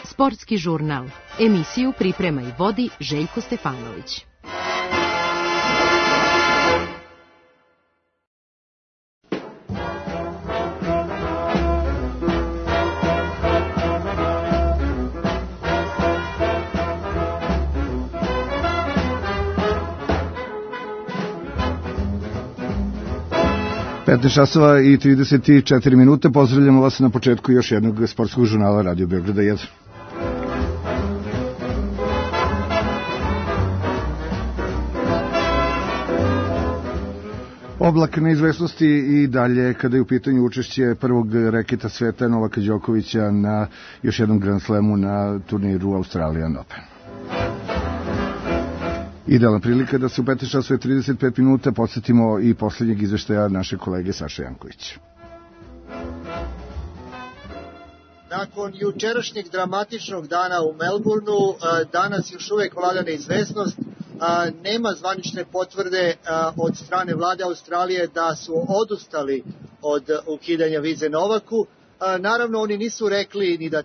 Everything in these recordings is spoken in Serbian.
Sportski žurnal. Emisiju priprema i vodi Željko Stefanović. časova i 34 minute. Pozdravljamo vas na početku još jednog sportskog žurnala Radio Beograda 1. Oblak neizvesnosti i dalje kada je u pitanju učešće prvog reketa sveta Novaka Đokovića na još jednom Grand Slamu na turniru Australian Open. Idealna prilika da se u 15 časova i 35 minuta podsjetimo i posljednjeg izveštaja naše kolege Saše Janković. Nakon jučerašnjeg dramatičnog dana u Melbourneu, danas još uvek vlada neizvesnost. Nema zvanične potvrde od strane vlade Australije da su odustali od ukidanja vize Novaku. Naravno, oni nisu rekli ni da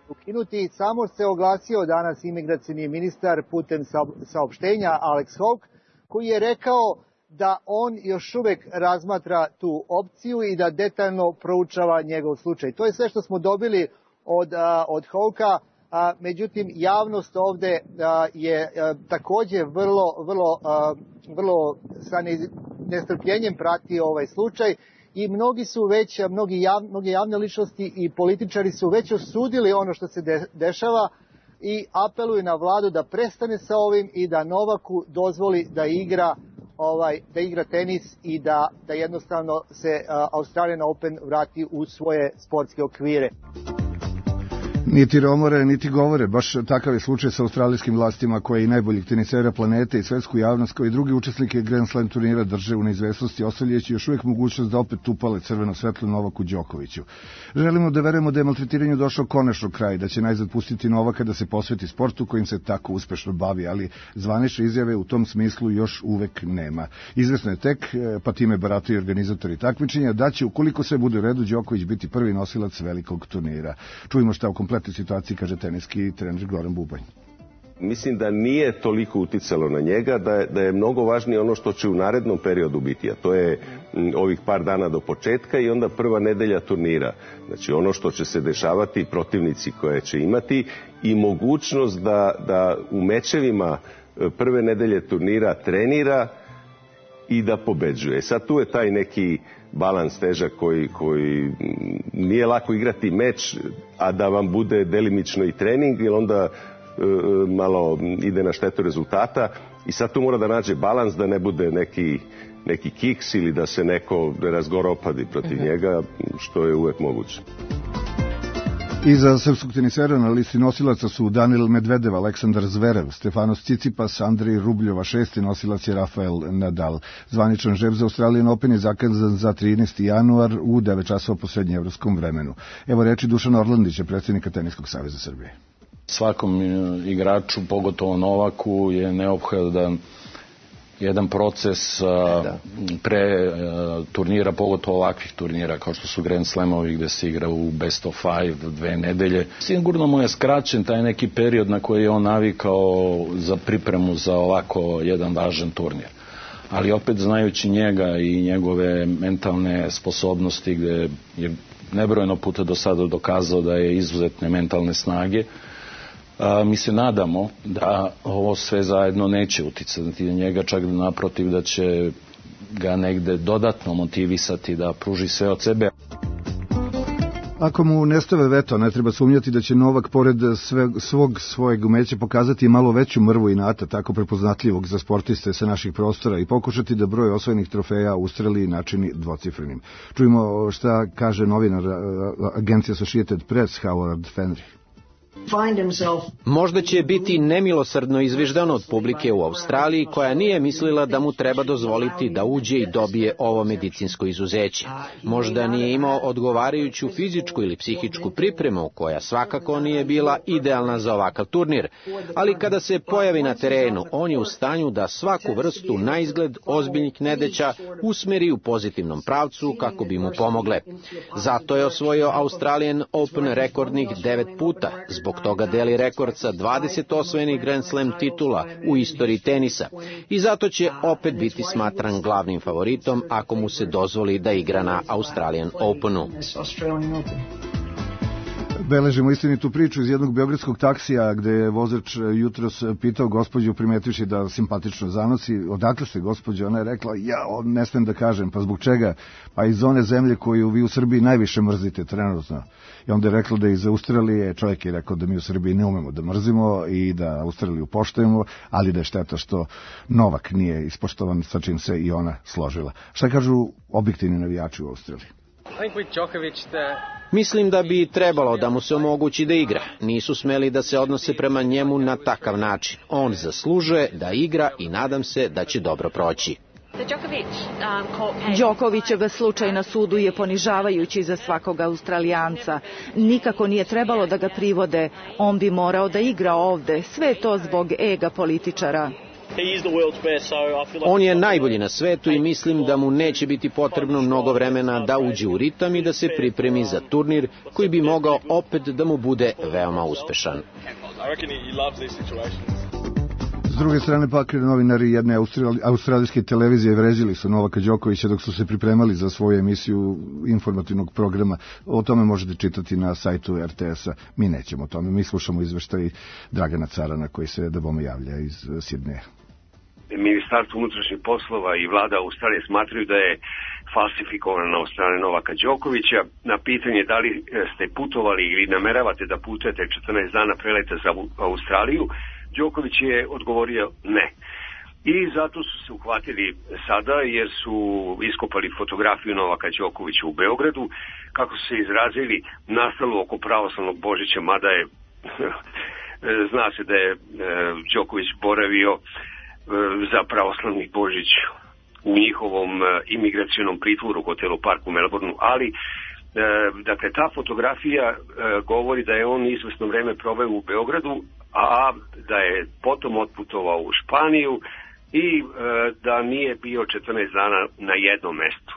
ukinuti, samo se oglasio danas imigracioni ministar putem saopštenja Alex Hawke, koji je rekao da on još uvek razmatra tu opciju i da detaljno proučava njegov slučaj. To je sve što smo dobili od Hawkea. Međutim, javnost ovde je takođe vrlo sa nestrpljenjem prati ovaj slučaj i mnoge javne ličnosti i političari su već osudili ono što se dešava i apeluju na vladu da prestane sa ovim i da Novaku dozvoli da igra tenis i da jednostavno se Australian Open vrati u svoje sportske okvire. Niti romore, niti govore. Baš takav je slučaj sa australijskim vlastima koje i najboljih tenisera planete i svetsku javnost kao i drugi učesnike Grand Slam turnira drže u neizvesnosti, ostavljajući još uvijek mogućnost da opet upale crveno svetlo Novaku Đokoviću. Želimo da verujemo da je maltretiranju došao konačno kraj, da će najzad pustiti Novaka da se posveti sportu kojim se tako uspešno bavi, ali zvanične izjave u tom smislu još uvek nema. Izvesno je tek, pa time barataju organizatori takmičenja, da će, ukoliko sve bude u redu, Đoković biti prvi nosilac velikog turnira. Čujemo šta u kompletnoj situaciji kaže teniski trener Goran Bubanj. Mislim da nije toliko uticalo na njega, da je mnogo važnije ono što će u narednom periodu biti, a to je ovih par dana do početka i onda prva nedelja turnira. Znači ono što će se dešavati, protivnici koje će imati i mogućnost da u mečevima prve nedelje turnira trenira i da pobeđuje. Sad tu je taj neki balans težak koji nije lako igrati meč, a da vam bude delimično i trening, jer onda malo ide na štetu rezultata i sad tu mora da nađe balans da ne bude neki kiks ili da se neko razgoropadi protiv njega, što je uvek moguće. Iza srpskog tenisera na listi nosilaca su Daniil Medvedev, Aleksandar Zverev, Stefanos Tsitsipas, Andrej Rubljova, 6. nosilac je Rafael Nadal. Zvaničan žreb za Australian Open je zakazan za 13. januar u 9 časova po srednjeevropskom vremenu. Evo reči Dušana Orlandića, predsjednika Teniskog saveza Srbije. Svakom igraču, pogotovo Novaku, je neophodan jedan proces pre turnira, pogotovo ovakvih turnira kao što su Grand Slamovi gde se igra u best of 5 2 nedelje. Sigurno mu je skraćen taj neki period na koji je on navikao za pripremu za ovako jedan važan turnir. Ali opet znajući njega i njegove mentalne sposobnosti gde je nebrojeno puta do sada dokazao da je izuzetne mentalne snage, mi se nadamo da ovo sve zajedno neće uticati na njega, čak naprotiv da će ga negde dodatno motivisati da pruži sve od sebe. Ako mu nestave veto, ne treba sumnjati da će Novak pored svojeg umeća pokazati malo veću mrvu inata, tako prepoznatljivog za sportiste sa naših prostora i pokušati da broj osvojenih trofeja u Australiji načini dvocifrenim. Čujemo šta kaže novinar agencije Associated Press Howard Fenry. Možda će biti nemilosrdno izviždan od publike u Australiji koja nije mislila da mu treba dozvoliti da uđe i dobije ovo medicinsko izuzeće. Možda nije imao odgovarajuću fizičku ili psihičku pripremu koja svakako nije bila idealna za ovakav turnir, ali kada se pojavi na terenu, on je u stanju da svaku vrstu na izgled ozbiljnih nedaća usmeri u pozitivnom pravcu kako bi mu pomogle. Zato je osvojio Australian Open rekordnih 9 puta, zbog toga deli rekord sa 20 osvojenih Grand Slam titula u istoriji tenisa i zato će opet biti smatran glavnim favoritom ako mu se dozvoli da igra na Australian Openu. Beležimo istinitu priču iz jednog beogradskog taksija gde je vozač jutros pitao gospođu, primetivši da simpatično zanosi, odakle ste gospođo? Ona je rekla, ne smem da kažem, pa zbog čega? Pa iz one zemlje koju vi u Srbiji najviše mrzite trenutno. I onda je rekla da iz Australije, čovjek je rekao da mi u Srbiji ne umemo da mrzimo i da Australiju poštujemo, ali da je šteta što Novak nije ispoštovan, sa čim se i ona složila. Šta kažu objektivni navijači u Australiji? Mislim da bi trebalo da mu se omogući da igra. Nisu smeli da se odnose prema njemu na takav način. On zaslužuje da igra i nadam se da će dobro proći. Đokovićev slučaj na sudu je ponižavajući za svakog Australijanca. Nikako nije trebalo da ga privode. On bi morao da igra ovde. Sve to zbog ega političara. On je najbolji na svetu i mislim da mu neće biti potrebno mnogo vremena da uđe u ritam i da se pripremi za turnir koji bi mogao opet da mu bude veoma uspešan. S druge strane pak novinari jedne australijske televizije vređali su Novaka Đokovića dok su se pripremali za svoju emisiju informativnog programa. O tome možete čitati na sajtu RTS-a. Mi nećemo o tome. Mi slušamo izveštaj Dragana Carana koji se da bome javlja iz Sidneja. Ministarstvo unutrašnjih poslova i vlada Australije smatraju da je falsifikovana od strane Novaka Đokovića. Na pitanje da li ste putovali ili nameravate da putujete 14 dana preleta za Australiju, Đoković je odgovorio ne. I zato su se uhvatili sada jer su iskopali fotografiju Novaka Đokovića u Beogradu, kako su se izrazili, nastalo oko pravoslavnog Božića, mada je zna se da je Đoković boravio za pravoslavni Božić u njihovom imigracionom pritvoru u hotelu Park u Melbourneu, ali dakle ta fotografija govori da je on izvesno vreme proveo u Beogradu, a da je potom otputovao u Španiju i da nije bio 14 dana na jednom mestu.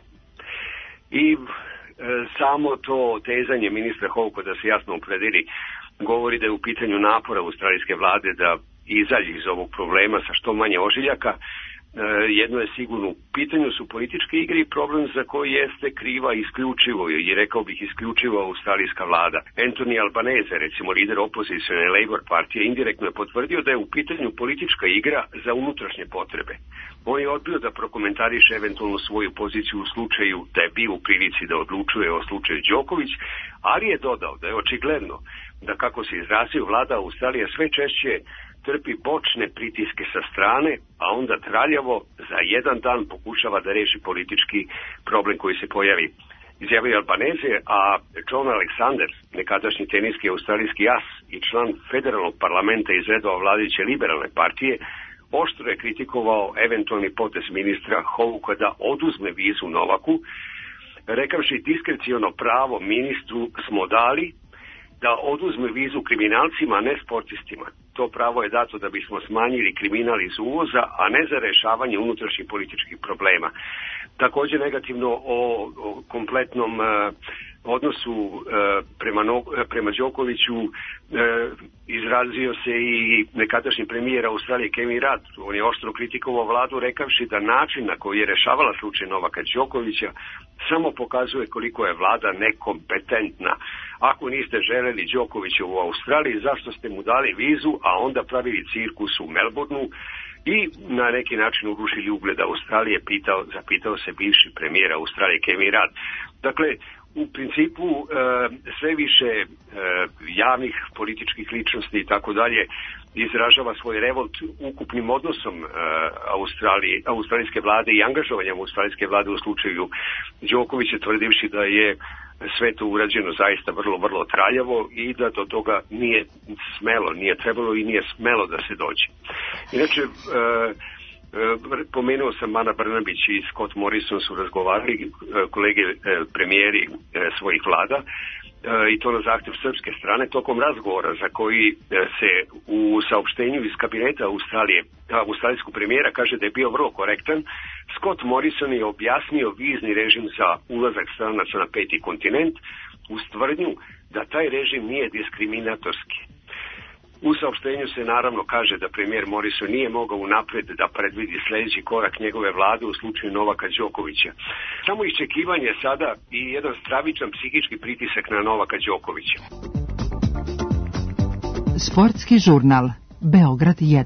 I samo to tezanje ministra Houka da se jasno opredeli govori da je u pitanju napora australijske vlade da izađe iz ovog problema sa što manje ožiljaka. Jedno je sigurno, u pitanju su političke igre i problem za koji jeste kriva isključivo, i rekao bih isključivo australijska vlada. Anthony Albanese, recimo lider opozicione Labour partije, indirektno je potvrdio da je u pitanju politička igra za unutrašnje potrebe. On je odbio da prokomentariše eventualno svoju poziciju u slučaju da je bio u prilici da odlučuje o slučaju Đoković, ali je dodao da je očigledno da, kako se izrazio, vlada Australije sve češće trpi bočne pritiske sa strane, a onda traljavo za jedan dan pokušava da reši politički problem koji se pojavi. Izjavio Albanese, a John Alexander, nekadašnji teniski australijski as i član federalnog parlamenta iz redova vladajuće liberalne partije, oštro je kritikovao eventualni potez ministra Houka da oduzme vizu Novaku, rekavši diskrecijono pravo ministru smo dali da oduzme vizu kriminalcima, a ne sportistima. To pravo je dato da bismo smanjili kriminal iz uvoza, a ne za rešavanje unutrašnjih političkih problema. Također negativno o kompletnom odnosu prema Đokoviću izrazio se i nekadašnji premijer Australije Kevin Rudd. On je oštro kritikovao vladu rekavši da način na koji je rešavala slučaj Novaka Đokovića samo pokazuje koliko je vlada nekompetentna. Ako niste želeli Đokovića u Australiji, zašto ste mu dali vizu, a onda pravili cirkus u Melbourneu i na neki način urušili ugled Australije, zapitao se bivši premijer Australije Kevin Rudd. Dakle, u principu sve više javnih političkih ličnosti i tako dalje izražava svoj revolt ukupnim odnosom australijske vlade i angažovanjem australijske vlade u slučaju Đokovića, tvrdivši da je sve to urađeno zaista vrlo, vrlo traljavo i da do toga nije trebalo i nije smelo da se dođe. Inače, pomenuo sam Ana Brnabić i Scott Morrison su razgovarali, kolege premijeri svojih vlada, i to na zahtjev srpske strane tokom razgovora za koji se u saopštenju iz kabineta australijskog premijera kaže da je bio vrlo korektan. Scott Morrison je objasnio vizni režim za ulazak stranaca na 5. kontinent uz tvrdnju da taj režim nije diskriminatorski. U saopštenju se naravno kaže da premijer Morrison nije mogao unapred da predvidi sljedeći korak njegove vlade u slučaju Novaka Đokovića. Samo iščekivanje sada i jedan stravičan psihički pritisak na Novaka Đokovića. Sportski žurnal Beograd 1.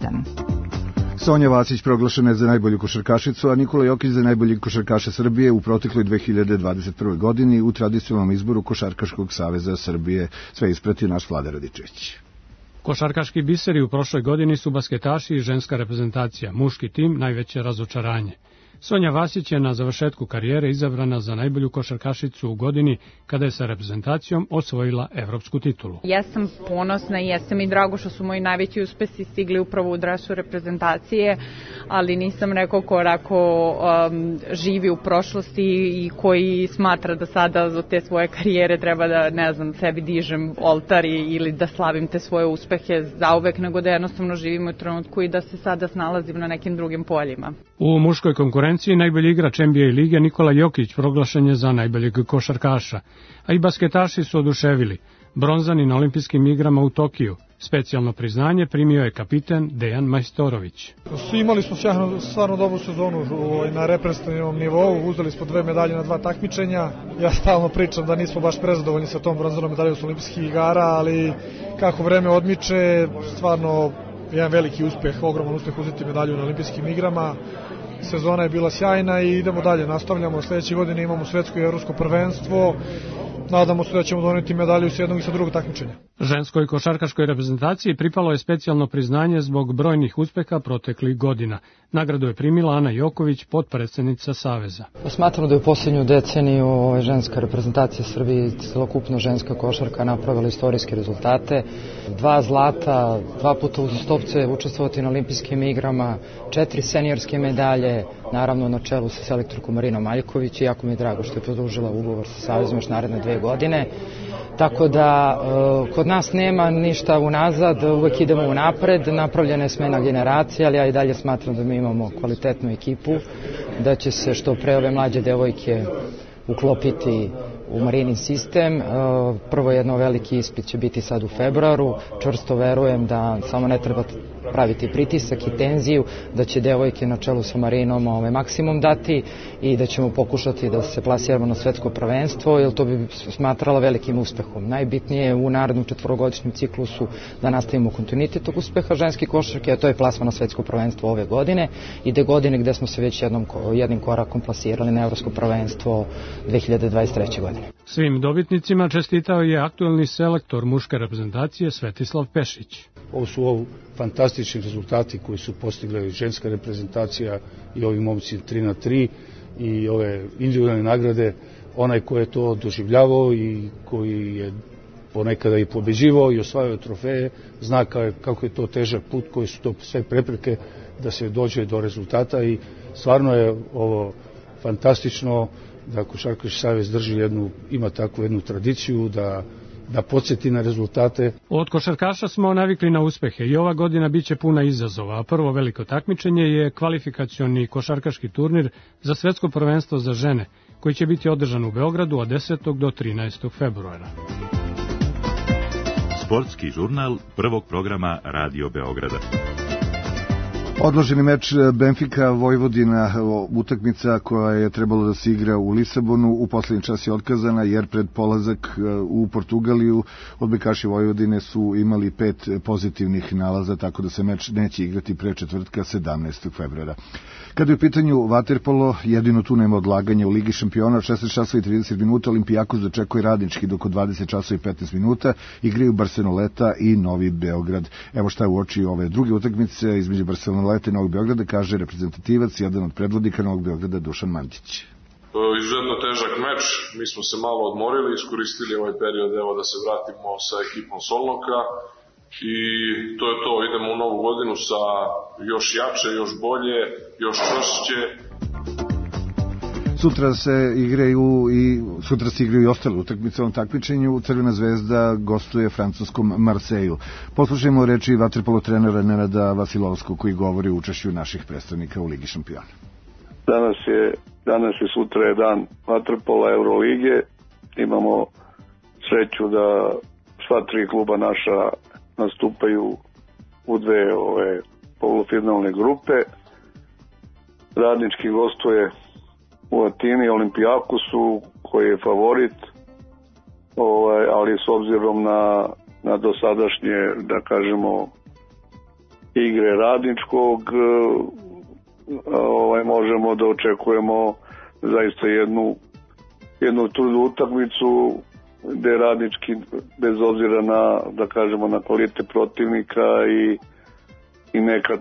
Sonja Vasić proglašena je za najbolju košarkašicu, a Nikola Jokić za najbolji košarkaša Srbije u protekloj 2021. godini u tradicionalnom izboru Košarkaškog saveza Srbije. Sve isprati naš Vlada Radičević. Košarkaški biseri u prošloj godini su basketaši i ženska reprezentacija, muški tim najveće razočaranje. Sonja Vasić je na završetku karijere izabrana za najbolju košarkašicu u godini kada je sa reprezentacijom osvojila evropsku titulu. Ja sam ponosna i jesam i drago što su moji najveći uspesi stigli upravo u dresu reprezentacije, ali nisam neko ko živi u prošlosti i koji smatra da sada od te svoje karijere treba da, sebi dižem oltar ili da slavim te svoje uspehe zauvek, nego da jednostavno živim u trenutku i da se sada snalazim na nekim drugim poljima. U muškoj konkurenciji najbolji igrač NBA lige Nikola Jokić proglašen je za najboljeg košarkaša, a i basketaši su oduševili. Bronzani na olimpijskim igrama u Tokiju. Specijalno priznanje primio je kapiten Dejan Majstorović. Imali smo stvarno dobru sezonu na reprezentativnom nivou, uzeli smo 2 medalje na 2 takmičenja. Ja stalno pričam da nismo baš prezadovoljni sa tom bronzanom medaljom s olimpijskih igara, ali kako vreme odmiče, stvarno jedan veliki uspeh, ogroman uspeh uzeti medalju na olimpijskim igrama. Sezona je bila sjajna i idemo dalje, nastavljamo. Sljedeće godine imamo svetsko i evropsko prvenstvo. Nadamo se da ćemo doneti medalju s jednog i sa drugog takmičenja. Ženskoj košarkaškoj reprezentaciji pripalo je specijalno priznanje zbog brojnih uspeha proteklih godina. Nagradu je primila Ana Joković, potpredsjednica Saveza. Smatram da je u posljednju deceniju ženska reprezentacija Srbije i celokupno ženska košarka napravila istorijske rezultate. 2 zlata, 2 puta uzastopce učestvovati na olimpijskim igrama, 4 seniorske medalje, naravno na čelu sa selektorkom Marinom Maljković, i jako mi je drago što je produžila ugovor sa Savezom još naredne 2 godine. Tako da kod nas nema ništa unazad, uvek idemo unapred, napravljena je smena generacija, ali ja i dalje smatram da mi imamo kvalitetnu ekipu, da će se što pre ove mlađe devojke uklopiti u Marinin sistem. Prvo jedno veliki ispit će biti sad u februaru. Čvrsto verujem da samo ne treba praviti pritisak i tenziju, da će devojke na čelu sa Marinom maksimum dati i da ćemo pokušati da se plasiramo na svetsko prvenstvo, jer to bi smatrala velikim uspehom. Najbitnije je u narednom 4-godišnjem ciklusu da nastavimo kontinuitet tog uspeha ženske košarke, a to je plasman na svetsko prvenstvo ove godine i te godine gde smo se već jednim korakom plasirali na evropsko prvenstvo 2023. godine. Svim dobitnicima čestitao je aktuelni selektor muške reprezentacije Svetislav Pešić. Ovo su fantastični rezultati koji su postigli ženska reprezentacija i ovi momci 3-3 i ove individualne nagrade. Onaj ko je to doživljavao i koji je ponekada i pobeđivao i osvajao trofeje, zna kako je to težak put, koji su to sve prepreke da se dođe do rezultata, i stvarno je ovo fantastično da Košarkaški savez ima takvu jednu tradiciju da podsjeti na rezultate. Od košarkaša smo navikli na uspehe i ova godina biće puna izazova, a prvo veliko takmičenje je kvalifikacioni košarkaški turnir za svetsko prvenstvo za žene, koji će biti održan u Beogradu od 10. do 13. februara. Sportski žurnal prvog programa Radio Beograda. Odloženi meč Benfica Vojvodina, utakmica koja je trebalo da se igra u Lisabonu, u poslednji čas je otkazana jer pred polazak u Portugaliju odbojkaši Vojvodine su imali 5 pozitivnih nalaza, tako da se meč neće igrati pre četvrtka 17. februara. Kada je u pitanju vaterpolo, jedino tu nema odlaganja u Ligi šampiona, 16 časova i 30 minuta Olimpijakos dočekuje Radnički, dok od 20 časova i 15 minuta igraju Barceloneta i Novi Beograd. Evo šta je u oči ove druge utakmice između Barceloneta i Novog Beograda, kaže reprezentativac, jedan od predvodnika Novog Beograda, Dušan Mandić. Izuzetno težak meč, mi smo se malo odmorili, iskoristili ovaj period da se vratimo sa ekipom Solnoka i to je to, idemo u novu godinu sa još jače, još bolje, još čvršće. Sutra se igraju i ostale utakmice u ovom takmičenju. Crvena zvezda gostuje francuskom Marseju. Poslušajmo reči vaterpolo trenera Nenada Vasilovskog koji govori o učešću naših predstavnika u Ligi šampiona. Danas je sutra je dan vaterpola Eurolige. Imamo sreću da sva tri kluba naša nastupaju u dve polufinalne grupe. Radnički gostuje u Atini Olimpijakosu koji je favorit, ali s obzirom na dosadašnje, da kažemo, igre Radničkog, možemo da očekujemo zaista jednu trudnu utakmicu gde Radnički, bez obzira na kvalitet protivnika i nekad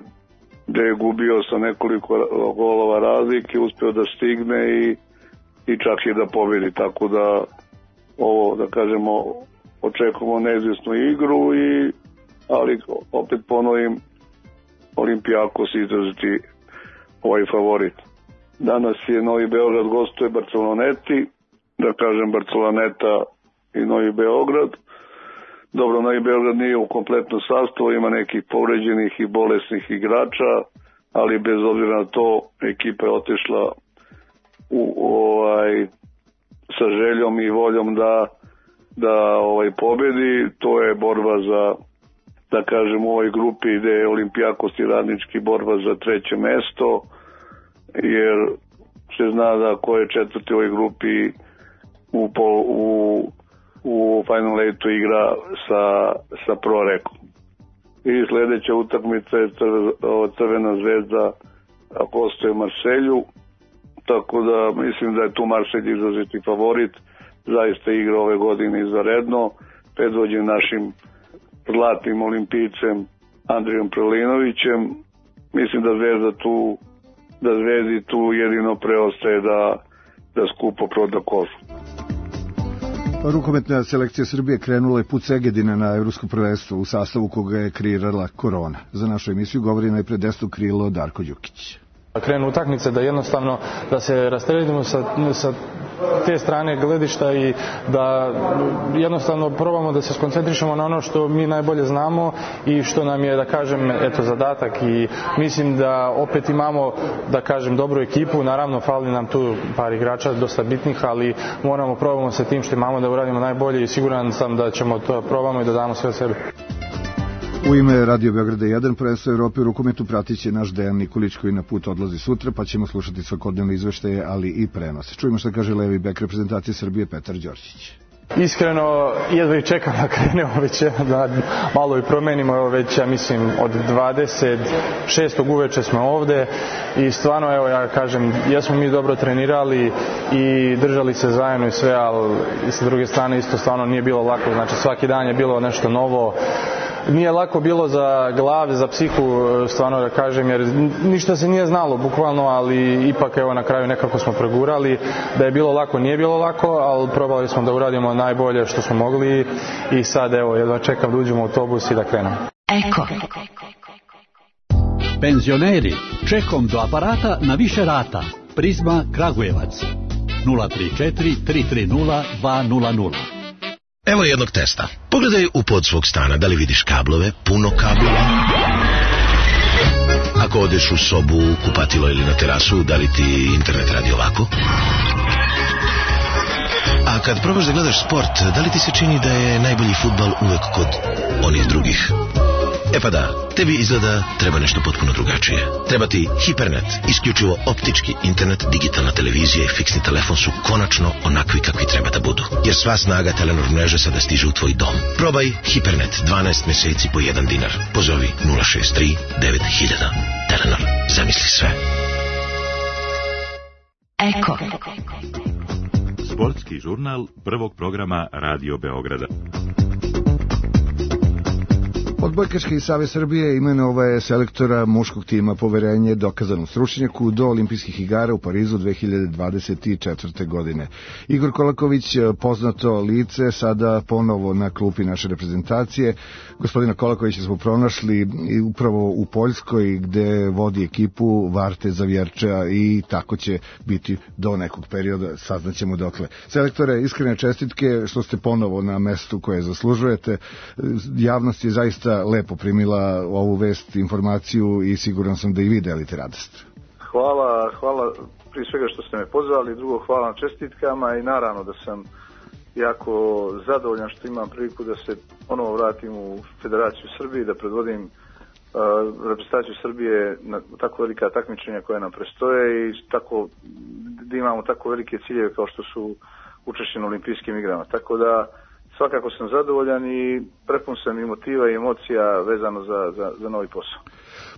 gde je gubio sa nekoliko golova razlike, uspeo da stigne i čak i da pobedi, tako da ovo, da kažemo, očekujemo neizvjesnu igru, ali opet ponovim, Olimpijakos izraziti ovaj favorit. Danas je Novi Beograd gostuje Barceloneti, da kažem Barceloneta i Novi Beograd. Dobro, Novi Beograd nije u kompletnom sastavu, ima nekih povređenih i bolesnih igrača, ali bez obzira na to ekipa je otišla sa željom i voljom da pobedi. To je borba za, da kažem, u ovoj grupi gde je Olimpijakos i Radnički borba za treće mesto, jer se zna da ko je četvrti u ovoj grupi u Final Eightu igra sa Prorekom. I sledeća utakmica je Crvena zvezda gostuje Marselju, tako da mislim da je tu Marselj izraziti favorit. Zaista igra ove godine izvanredno, predvođen našim zlatnim olimpijcem Andrijom Prelinovićem. Mislim da Zvezdi tu jedino preostaje da skupo proda kožu. Rukometna selekcija Srbije krenula je put Segedina na evropsko prvenstvo u sastavu koga je kreirala korona. Za našu emisiju govori najpred desno krilo Darko Đukić. Krenu utakmice da jednostavno da se rasteretimo sa te strane gledišta i da jednostavno probamo da se skoncentrišemo na ono što mi najbolje znamo i što nam je, da kažem, zadatak, i mislim da opet imamo, da kažem, dobru ekipu. Naravno, fali nam tu par igrača dosta bitnih, ali probamo sa tim što imamo da uradimo najbolje i siguran sam da ćemo to probamo i da damo sve od sebe. U ime Radio Beograda 1 prvenstvo Evrope u rukometu pratit će naš Dejan Nikolić koji na put odlazi sutra, pa ćemo slušati svakodnevne izveštaje, ali i prenose. Čujemo što kaže levi bek reprezentacije Srbije Petar Đorđić. Iskreno, jedva i čekam da krenemo već da malo i promenimo, evo već, ja mislim, od 26. uveče smo ovde i stvarno, evo, ja kažem, jesmo mi dobro trenirali i držali se zajedno i sve, ali sa druge strane isto stvarno nije bilo lako, znači svaki dan je bilo nešto novo. Nije lako bilo za glave, za psihu, stvarno da kažem, jer ništa se nije znalo, bukvalno, ali ipak evo na kraju nekako smo pregurali. Da je bilo lako, nije bilo lako, ali probali smo da uradimo najbolje što smo mogli i sad evo jedva čekam da uđemo u autobus i da krenemo. Eko. Penzioneri, čekom do aparata na više rata. Prizma Kragujevac 034 330 200. Evo jednog testa. Pogledaj u pod svog stana, da li vidiš kablove, puno kablova. Ako odeš u sobu, kupatilo ili na terasu, da li ti internet radi ovako? A kad probaš da gledaš sport, da li ti se čini da je najbolji fudbal uvek kod onih drugih? E pa da, tebi izgleda treba nešto potpuno drugačije. Treba ti Hipernet, isključivo optički internet, digitalna televizija i fiksni telefon su konačno onakvi kakvi treba da budu. Jer sva snaga Telenor mreže sada stiže u tvoj dom. Probaj Hipernet, 12 meseci po $1. Pozovi 063 9000. Telenor, zamisli sve. Eko. Sportski žurnal prvog programa Radio Beograda. Odbojkaški savez Srbije imenovao je selektora muškog tima Poverenje dokazanom stručnjaku do olimpijskih igara u Parizu 2024. godine. Igor Kolaković, poznato lice, sada ponovo na klupi naše reprezentacije. Gospodina Kolakovića smo pronašli upravo u Poljskoj, gde vodi ekipu Varte Zavjerča i tako će biti do nekog perioda, saznaćemo dokle. Selektore, iskrene čestitke što ste ponovo na mestu koje zaslužujete. Javnost je zaista lepo primila ovu vest, informaciju i siguran sam da i vi delite radost. Hvala prije svega što ste me pozvali, drugo hvala na čestitkama i naravno da sam jako zadovoljan što imam priliku da se ponovo vratim u Federaciju Srbije, da predvodim reprezentaciju Srbije na tako velika takmičenja koja nam prestoje i tako, da imamo tako velike ciljeve kao što su učešće na olimpijskim igrama. Tako da svakako sam zadovoljan i prepun sam i motiva i emocija vezano za novi posao.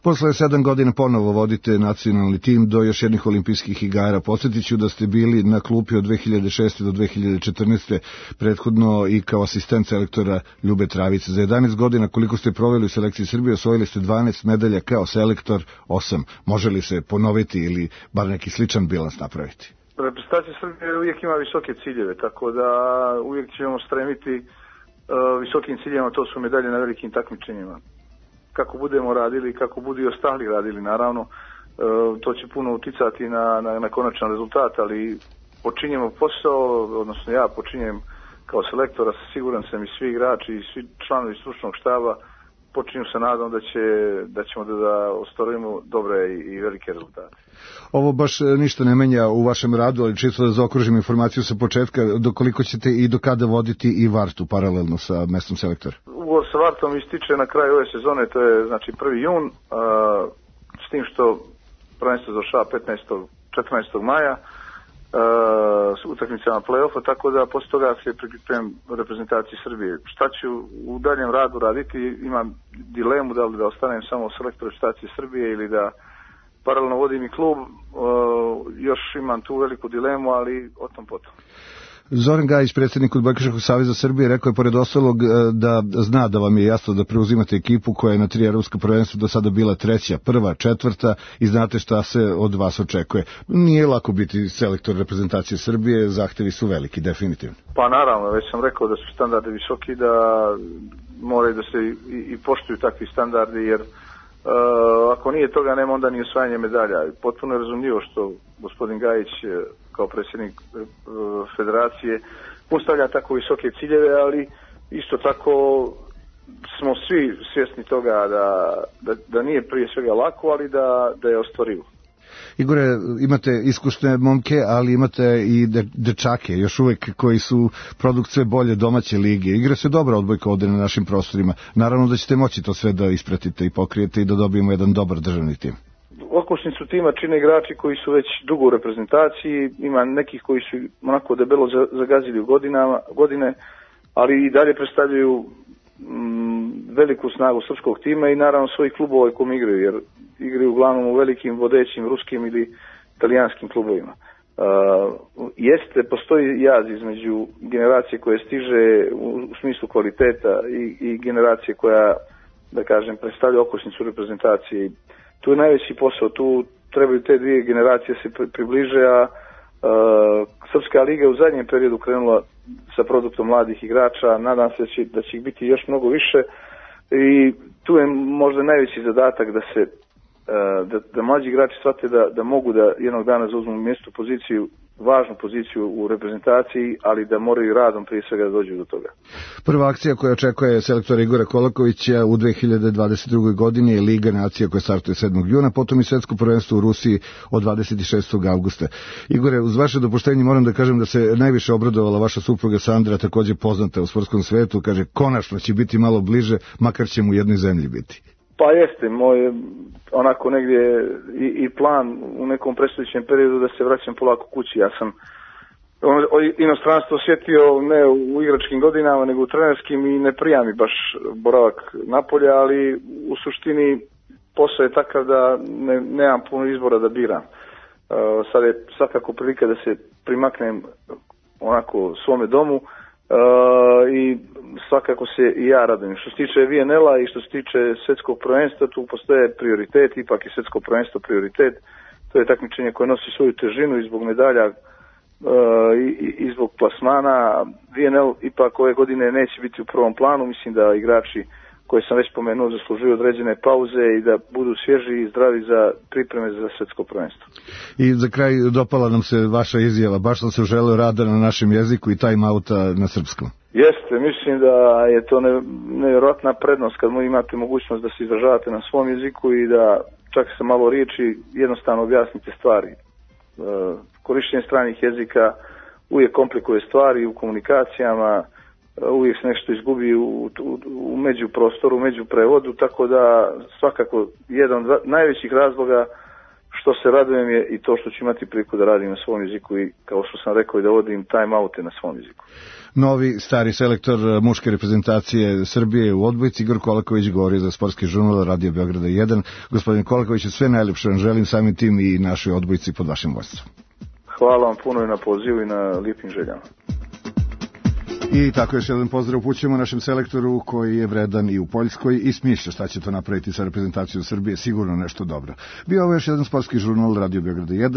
Posle 7 godina ponovo vodite nacionalni tim do još jednih olimpijskih igara. Podsjetit ću da ste bili na klupi od 2006. do 2014. prethodno i kao asistent selektora Ljube Travice. Za 11 godina koliko ste proveli u selekciji Srbije osvojili ste 12 medalja kao selektor, 8. Može li se ponoviti ili bar neki sličan bilans napraviti? Reprezentacija Srbije uvijek ima visoke ciljeve, tako da uvijek ćemo stremiti visokim ciljevima, to su medalje na velikim takmičenjima. Kako budemo radili, kako budu i ostali radili, naravno, to će puno uticati na konačan rezultat, ali počinjemo posao, odnosno ja počinjem kao selektora, siguran sam i svi igrači i svi članovi stručnog štaba počinju sa nadom da ćemo da ostvarujemo dobre i velike rezultate. Ovo baš ništa ne menja u vašem radu, ali čisto da zaokružim informaciju sa početka, dokoliko ćete i do kada voditi i Vartu paralelno sa mestom selektora? Ugovor sa Vartom ističe na kraju ove sezone, to je znači 1. jun, s tim što prvenstvo završava 14. maja, s utakmicama play-offa, tako da posle toga se priključujem reprezentaciji Srbije. Šta ću u daljem radu raditi? Imam dilemu da li da ostanem samo selektor reprezentacije Srbije ili da paralelno vodim i klub. Još imam tu veliku dilemu, ali o tom potom. Zoran Gajić, predsjednik Odbojkaškog saveza Srbije, rekao je pored ostalog da zna da vam je jasno da preuzimate ekipu koja je na 3 evropska prvenstva do sada bila 3., 1., 4. i znate šta se od vas očekuje. Nije lako biti selektor reprezentacije Srbije, zahtevi su veliki, definitivno. Pa naravno, već sam rekao da su standardi visoki, da moraju da se i poštuju takvi standardi, jer ako nije toga, nema onda ni osvajanje medalja. Potpuno je razumljivo što gospodin Gajić kao predsjednik federacije postavlja tako visoke ciljeve, ali isto tako smo svi svjesni toga da nije prije svega lako, ali da je ostvarivo. Igore, imate iskusne momke, ali imate i dečake, još uvek, koji su produkt sve bolje domaće lige. Igra se dobra odbojka ovde na našim prostorima. Naravno da ćete moći to sve da ispratite i pokrijete i da dobijemo jedan dobar državni tim. Okosnicu tima čine igrači koji su već dugo u reprezentaciji, ima nekih koji su onako debelo zagazili u godine, ali i dalje predstavljaju veliku snagu srpskog tima i naravno svojih klubova kojim igraju, jer igraju uglavnom u velikim vodećim ruskim ili italijanskim klubovima. Postoji jaz između generacije koje stiže u smislu kvaliteta i generacije koja, da kažem, predstavlja okosnicu reprezentacije. Tu je najveći posao, tu trebaju te dvije generacije se približe, a Srpska liga je u zadnjem periodu krenula sa produktom mladih igrača, nadam se da će ih biti još mnogo više i tu je možda najveći zadatak da mlađi igrači shvate da mogu da jednog dana zauzmu mjesto poziciju, važnu poziciju u reprezentaciji, ali da moraju radom prije svega da dođu do toga. Prva akcija koja očekuje selektora Igora Kolakovića u 2022. godini je Liga nacija koja startuje 7. juna, potom i svetsko prvenstvo u Rusiji od 26. augusta. Igore, uz vaše dopuštenje moram da kažem da se najviše obradovala vaša supruga Sandra, također poznata u sportskom svetu, kaže konačno će biti malo bliže, makar će mu u jednoj zemlji biti. Pa jeste, moj onako negdje i plan u nekom predstojećem periodu da se vraćam polako kući. Ja sam inostranstvo osjetio ne u igračkim godinama, nego u trenerskim i ne prija mi baš boravak napolja, ali u suštini posao je takav da nemam puno izbora da biram. Sad je svakako prilika da se primaknem onako svome domu i svakako se i ja radujem. Što se tiče VNL-a i što se tiče svetskog prvenstva, tu postoje prioritet, ipak je svetsko prvenstvo prioritet. To je takmičenje koje nosi svoju težinu i zbog medalja i zbog plasmana. VNL ipak ove godine neće biti u prvom planu, mislim da igrači koje sam već pomenuo zaslužuju određene pauze i da budu svježi i zdravi za pripreme za svetsko prvenstvo. I za kraj dopala nam se vaša izjava, baš sam se želeo rada na našem jeziku i time-outa na srpskom. Jeste, mislim da je to nevjerojatna prednost kad imate mogućnost da se izražavate na svom jeziku i da čak sa malo riječi jednostavno objasnite stvari. Korištenje stranih jezika uvijek komplikuje stvari u komunikacijama, uvijek se nešto izgubi u međuprostoru, u međuprevodu, tako da svakako jedan od najvećih razloga što se radujem je i to što ću imati priliku da radim na svom jeziku i kao što sam rekao i da vodim time-oute na svom jeziku. Novi stari selektor muške reprezentacije Srbije u odbojci Igor Kolaković govori za sportski žurnal Radio Beograda 1. Gospodin Kolaković, sve najljepše vam želim, samim tim i našoj odbojci pod vašim vodstvom. Hvala vam puno i na pozivu i na lijepim željama. I tako još jedan pozdrav upućujemo našem selektoru koji je vredan i u Poljskoj i smišlja šta će to napraviti sa reprezentacijom Srbije, sigurno nešto dobro. Bio ovo još jedan sportski žurnal Radio Beograda 1.